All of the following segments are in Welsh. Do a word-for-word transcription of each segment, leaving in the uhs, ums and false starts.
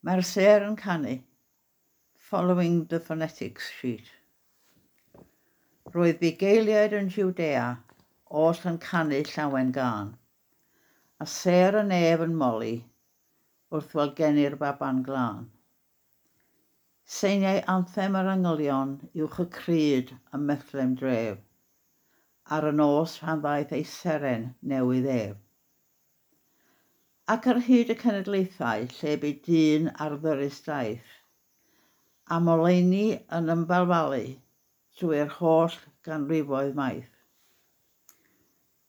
Mae'r sêr yn canu, following the phonetics sheet. Roedd bugeiliaid yn Jwdea oll yn canu llawen gân, a sêr y nef yn moli wrth weld geni'r baban glân. Seiniau anthem yr angylion uwch y crud ym Methlehem dref, ar y nos pan ddaeth ei seren newydd ef. Ac ar hyd y cenedlaethau lle bu dyn ar ddyrys daith, am oleuni yn ymbalfalu drwy'r holl ganrifoedd maith.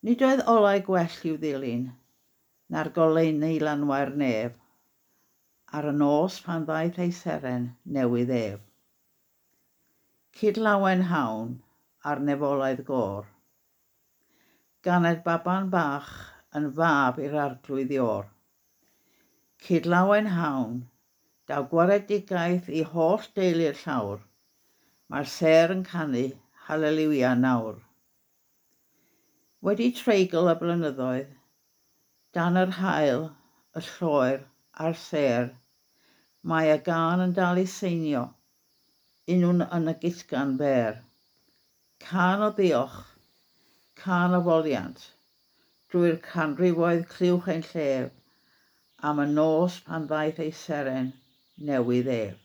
Nid oedd olau gwell i'w ddilyn na'r goleuni lanwai'r nef, ar y nos pan ddaeth ei seren newydd ef. Cydlawenhawn a'r nefolaidd gôr. Ganed baban bach yn fab i'r arglwydd Iôr. Cydlawenhawn, daw gwaredigaeth i holl deulu'r llawr. Mae'r sêr yn canu haleliwia nawr. Wedi treigl y blynyddoedd, dan yr haul, y lloer a'r sêr, mae y gân yn dal i seinio, unwn yn y gytgan fer. Cân o ddiolch, cân o foliant, drwy'r canrifoedd clywch ein llef, am y nos pan ddaeth ei seren newydd ef.